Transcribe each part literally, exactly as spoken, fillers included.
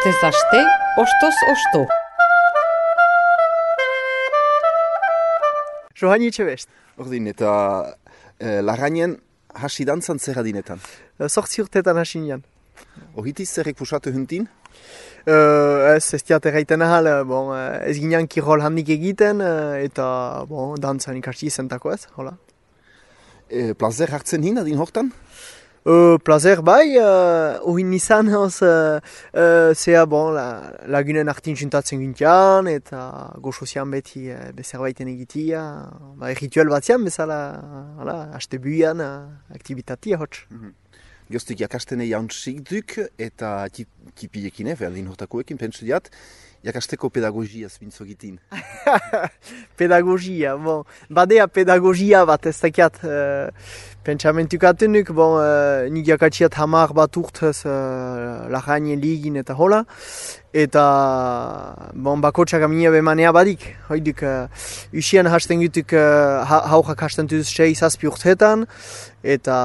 Astez aste, ostoz osto. Johani Etxebest. Ordin, eta e, Larrainen hasi dantzan zer adinetan? Sortzi urtetan hasi nian. Ohitiz zerrek pusatu huntin? Uh, ez, ez diat erraiten ahal, bon, ez ginean kirol handik egiten, eta bon, dantzan ikasi izentako ez, hola. E, plazer hartzen hin adin hortan? Uh, plazer bai, uh, uhin izan hoz, uh, uh, zea bon, la, lagunen artin juntatzen gintian, eta goxozian beti uh, bezerbaiten egitia, ba, rituel batzian bezala, hala, haste buian, uh, aktivitatia hotz. Mm-hmm. Gioztik jakastene jauntzik duk eta tipilekin, eh, berdin hortakoekin, pentsu diat, jakasteko pedagogia zbintzo gitin. Pedagogia, bon, badea pedagogia bat ez dakiat, uh, pentsamentukatenuk, bon, uh, nik jakatsiat hamar bat urtez uh, Larrainen ligin eta hola, eta bon, bakotsak amina bemanea badik, hoiduk, uh, usien hasten gutuk uh, ha, haujak hasten duz sei zazpi urtetan, eta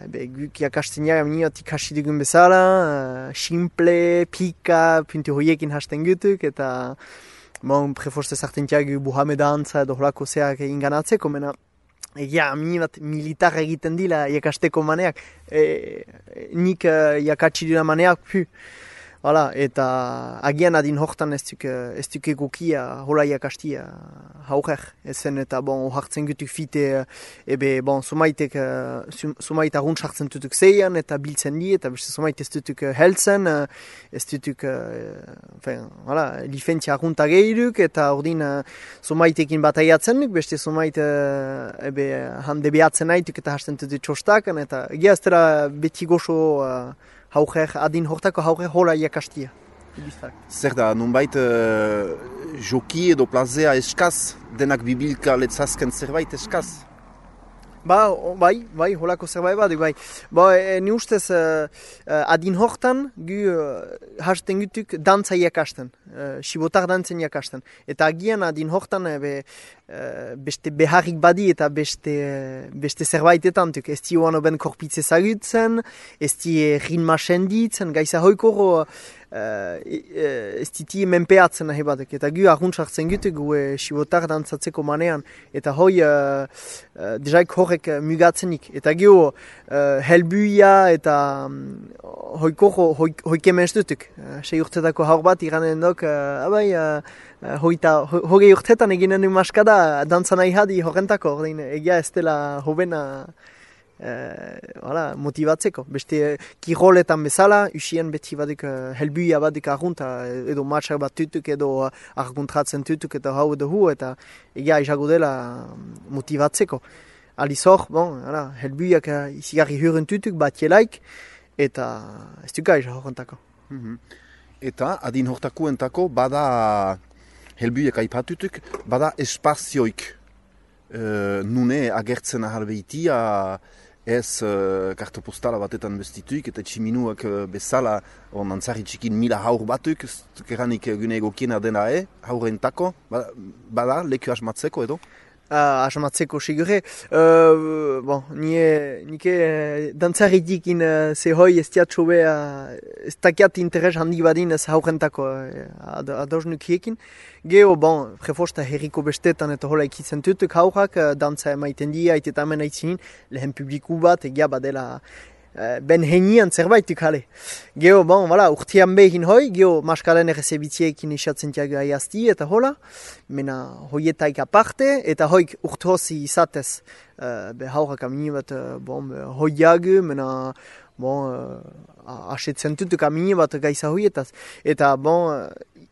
be, guk jakasten jara amina ikasi dugun bezala, uh, simple, pika, puntu hoiekin hasten gutuk, eta bon, preforste zartentiak buhameda antza edo holako zeak inganatzeko, mena egia, amini bat militar egiten dila jakasteko maneak, e, nik uh, jakatsi dira maneak, pu. Hala, eta agian adin hortan ez duk, ez duk egokia hola jakastia hauger. Ezen eta bon, hartzen gutuk fite, ebe, bon, sumaitek, sumait arrunt hartzen dutuk zeian eta biltzen di, eta beste sumait ez dutuk heltzen, ez dutuk, enfin, hala, lifentzia arrunta gehiruk, eta ordin sumaitekin bataiatzen duk, beste sumait, ebe, hande behatzen nahituk eta hasten dutuk txostakan, eta egia ez dira beti goxo, hauger, adin hortako hauger hola jakastia. Zer da, nunbait uh, joki edo plazea eskaz, denak bibilka letzazken zerbait eskaz? Ba, bai, bai, holako zerbait bat, bai. Ba, e, ni ustez uh, uh, adin hortan gu uh, hasten gutuk dantza jakasten, uh, sibotar dantzen jakasten. Eta agian adin hortan uh, be, uh, beste beharrik badi eta beste, uh, beste zerbaitetan tuk. Ez di oan oben korpitze zagutzen, ez di ritma senditzen, gaiza hoikoro Uh, ez diti menpeatzen nahi batek, eta gu arruntzartzen gutu gu e, sibotar dantzatzeko manean, eta hoi uh, uh, dejaik horrek uh, mugatzenik, eta gu uh, helbuia eta um, hoikoro hoike menstutuk. Uh, sei urtetako haur bat iranen dok, uh, abai, uh, hoita, ho, hogei urtetan eginen du maskada dantza nahi hadi horrentako, ordein, egia ez dela hobena Uh, hala, motivatzeko. Beste kiroletan bezala, usien beti badik uh, helbuia badik argunta, edo matxak bat tutuk, edo uh, arguntratzen tutuk, eta hau edo hu, eta egia izago dela motivatzeko. Aliz hor, bon, hala, helbuiak uh, izigarri huren tutuk, bat jelaik, eta ez duka izan horrentako. Mm-hmm. Eta, adin hortakuentako, bada helbuiak aipatutuk, bada espazioik uh, nune agertzen ahalbeitia, ez uh, kartopostala batetan bestituik eta tximinuak uh, bezala on antzari txikin mila haur batuk, keranik gune egokiena dena e, haurentako, bada, bada leku asmatzeko edo? Uh, asmatzeko sigure. Uh, bon, nie, nike uh, dantzaritikin uh, zehoi ez diatxo be, uh, ez takiat interes handi badin ez haurentako uh, adoz nukiekin. Geo, bon, prefosta herriko bestetan eta hola ikitzen tutuk haurak, uh, dantza emaiten dia, eta hemen aitzinin, lehen publiku bat, egia badela uh, ben henian zerbaituk hale. Geo, bon, voilà, urtean behin hoi, geo maskalen errezebitziekin isatzen tiago aiazti eta hola, mena hoietaik aparte, eta hoik urtozi izatez, uh, be haurak amini bat, uh, bon, hoiagu, mena, bon, uh, asetzen tutuk amini bat gaiza hoietaz. Eta, bon,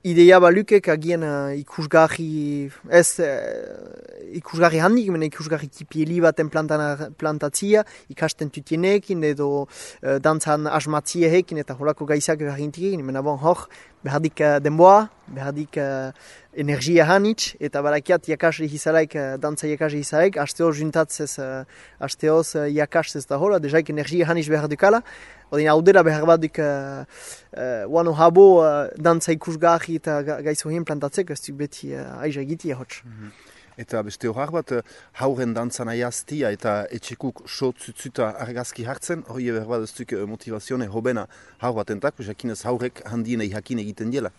ideia balukek agian uh, ikusgarri, ez uh, ikusgarri handik, mena ikusgarri tipieli baten plantatzia, ikasten tutienekin edo uh, dantzan asmatziehekin eta holako gaizak garrintiekin, mena bon, hor, behardik uh, denboa, behardik uh, energia hanitz, eta barakiat jakasri hizalaik, uh, dantza jakasri hizalaik, asteoz juntatzez, uh, asteoz uh, jakastez da hola, dejaik energia hanitz behar dukala, odin haudera behar badik uh, uh, wano habo uh, dantza ikusgarri eta ga, gaizo hien plantatzeko, ez duk beti uh, aiza egitia hotz. Mm-hmm. Eta beste horar bat, hauren dantzan aiaztia eta etxekuk sotzutzuta argazki hartzen, hori behar bat ez duk motivazione hobena haur bat entak, jakinez haurek handienei jakin egiten diela.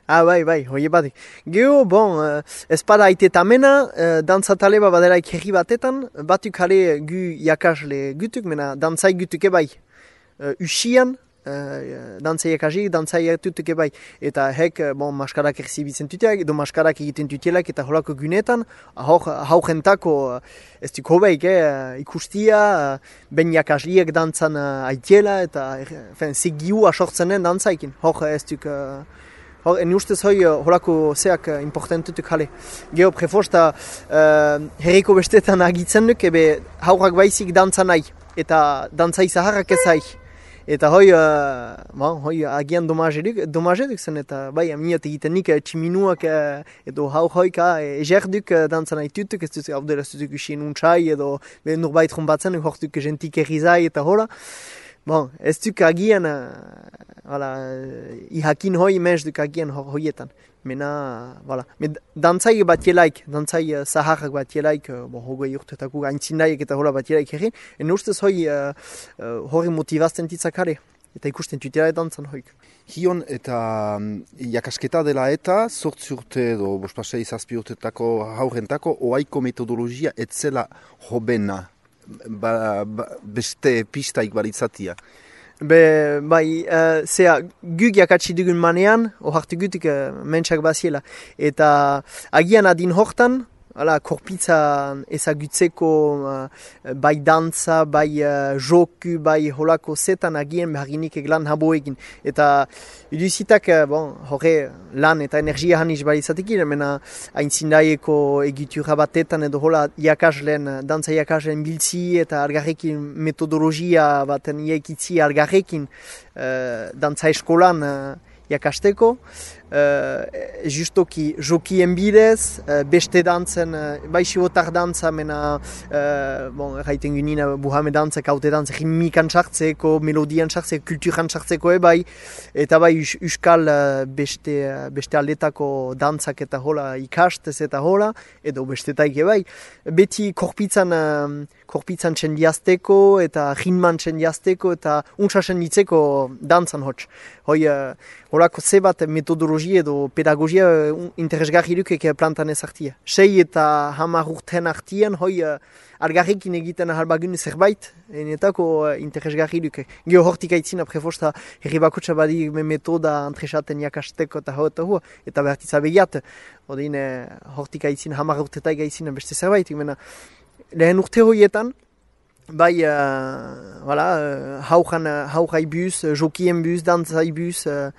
Ah, bai, bai, hoi batik. Geo, bon, uh, ez pada aitetamena, uh, dantzatale bat badelaik herri batetan, batuk jale gu jakasle gutuk, mena dantzai gutuk ebai. Uh, usian, uh, dantzai jakasik, dantzai tutuk ebai. Eta hek, bon, maskarak erzibitzen tuteak, edo maskarak egiten tutelak eta holako gunetan, haujentako uh, ez duk hobeik, eh, ikustia, uh, ben jakasliek dantzan uh, aitiela, eta uh, segiu asortzenen dantzaikin. Hor ez duk... Uh, Hor, en ustez hoi horako zeak importantutuk jale. Geo prefosta uh, herriko bestetan agitzen duk, ebe haurak baizik dantza nahi, eta dantzai zaharrak ez nahi. Eta hoi, uh, ba, hoi agian domaje duk, domaje duk zen, eta bai, aminat egiten nik tximinuak uh, edo hau hoik uh, eger duk uh, dantza nahi tutuk, ez duk hau dela ez duk usien untsai, edo norbait rumbatzen, hor duk jentik errizai eta hola. Bon, ez duk agian, uh, voilà, ihakin hoi mez duk agian ho, hoietan. Mena, voilà. Me dantzai bat jelaik, dantzai uh, zaharrak bat jelaik, uh, bon, hogei urtetako aintzindaiek eta hola bat jelaik egin. En ustez hoi uh, uh, hori motivazten titzakare. Eta ikusten tutela dantzan hoik. Hion eta um, jakasketa dela eta, sortzi urte edo bospasei zazpi urtetako haurentako, oaiko metodologia etzela hobena. Ba, ba, beste pistaik baritzatia. Be, bai, uh, zea, guk jakatsi dugun manean, ohartu gutik uh, mentsak baziela. Eta agian adin hortan, ala, korpitza ezagutzeko uh, bai dantza, bai uh, joku, bai holako zetan agian beharginik eglan habo egin. Eta iduzitak, uh, bon, horre lan eta energia haniz baritzatekin, mena aintzindaieko egitura batetan edo hola jakaslen, dantza jakaslen biltzi eta algarrekin metodologia baten iekitzi algarrekin uh, dantza eskolan uh, jakasteko. Uh, justoki jokien bidez, uh, beste dantzen, uh, bai sibotar dantza, mena, uh, bon, erraiten gynina buhame dantza, kaute dantza, ritmikan sartzeko, melodian sartzeko, kulturan sartzeko ebai, eta bai us, uskal uh, beste, uh, beste aldetako dantzak eta hola ikastez eta hola, edo bestetaik ebai. Beti korpitzan, uh, korpitzan txendiazteko, eta rinman txendiazteko, eta untsa txenditzeko dantzan hotx. Hoi, uh, holako zebat metodologia edo pedagogia uh, interesgarri dukek plantan ez hartia. Sei eta hamar urten hartien, hoi uh, algarrekin egiten ahalbagun zerbait, enetako uh, interesgarri dukek. Geo hortik aitzina prefosta herri bakotxa badi metoda antresaten jakasteko eta hau eta hua, eta behartitza begiat. Odin uh, hortik aitzina hamar urtetaik aitzina beste zerbait. Mena, lehen urte hoietan, bai, uh, voilà, uh, haujan, uh, haujai buz, uh, jokien buz, dantzai buz, uh,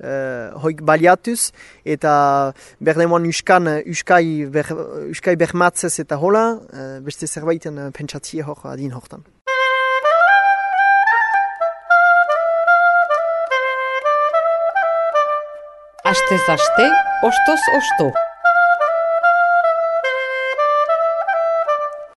uh, hoik baliatuz, eta berdemoan uskan, uh, uskai, ber, uskai bermatzez eta hola, uh, beste zerbaiten uh, pentsatzie hor adin hortan. Astez aste, ostoz osto.